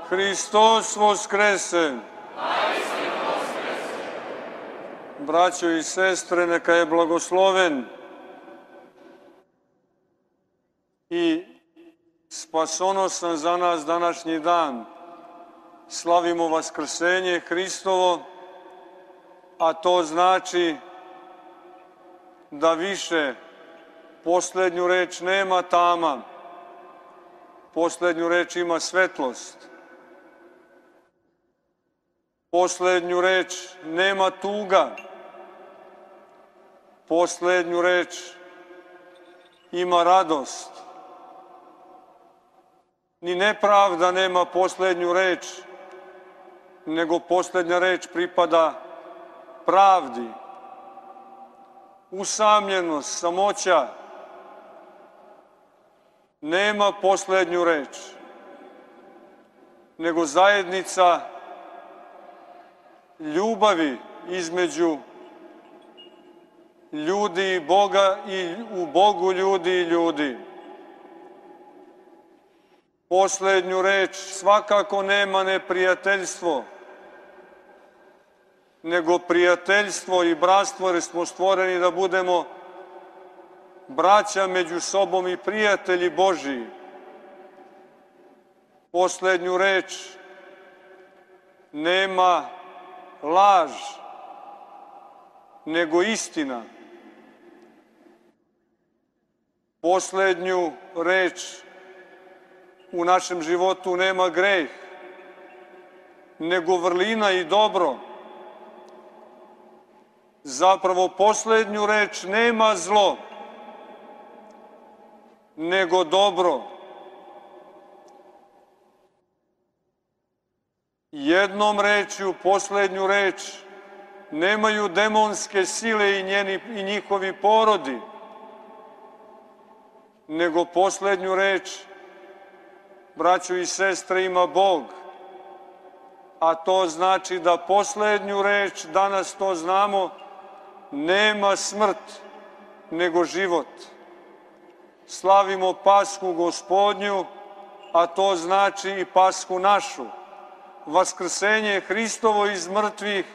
Hristos Voskrese! Braćo i sestre, neka je blagosloven i spasonosan za nas današnji dan. Slavimo Vaskrsenje Hristovo, a to znači da više posljednju reč nema tama, posljednju reč ima svetlost. Posljednju reč nema tuga, posljednju reč ima radost. Ni nepravda nema posljednju reč, nego posljednja reč pripada pravdi. Usamljenost, samoća nema posljednju reč, nego zajednica ljubavi između ljudi i Boga i u Bogu ljudi i ljudi. Posljednju reč svakako nema neprijateljstvo, nego prijateljstvo i bratstvo, jer smo stvoreni da budemo braća među sobom i prijatelji Božiji. Posljednju reč nema laž, nego istina. Posljednju reč u našem životu nema greh, nego vrlina i dobro. Zapravo posljednju reč nema zlo, nego dobro. Jednom rečju, posljednju reč, nemaju demonske sile i njihovi porodi, nego posljednju reč, braćo i sestre, ima Bog. A to znači da posljednju reč, danas to znamo, nema smrt, nego život. Slavimo Pashu Gospodnju, a to znači i Pashu našu. Vaskrsenje Hristovo iz mrtvih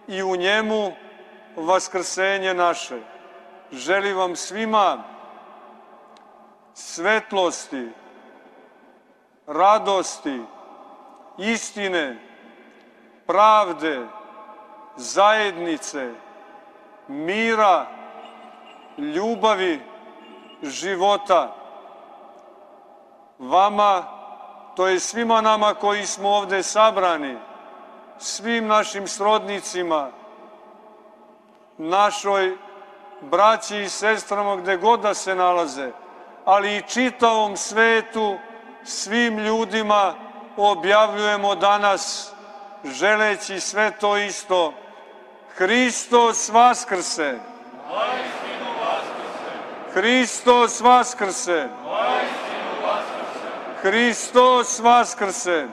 i u njemu vaskrsenje naše. Želim vam svima svetlosti, radosti, istine, pravde, zajednice, mira, ljubavi, života. Vama, to je svima nama koji smo ovde sabrani, svim našim srodnicima, našoj braći i sestrama gde god da se nalaze, ali i čitavom svetu, svim ljudima objavljujemo danas, želeći sve to isto. Hristos Vaskrse! Hristos Vaskrse! Hristos Vaskrse!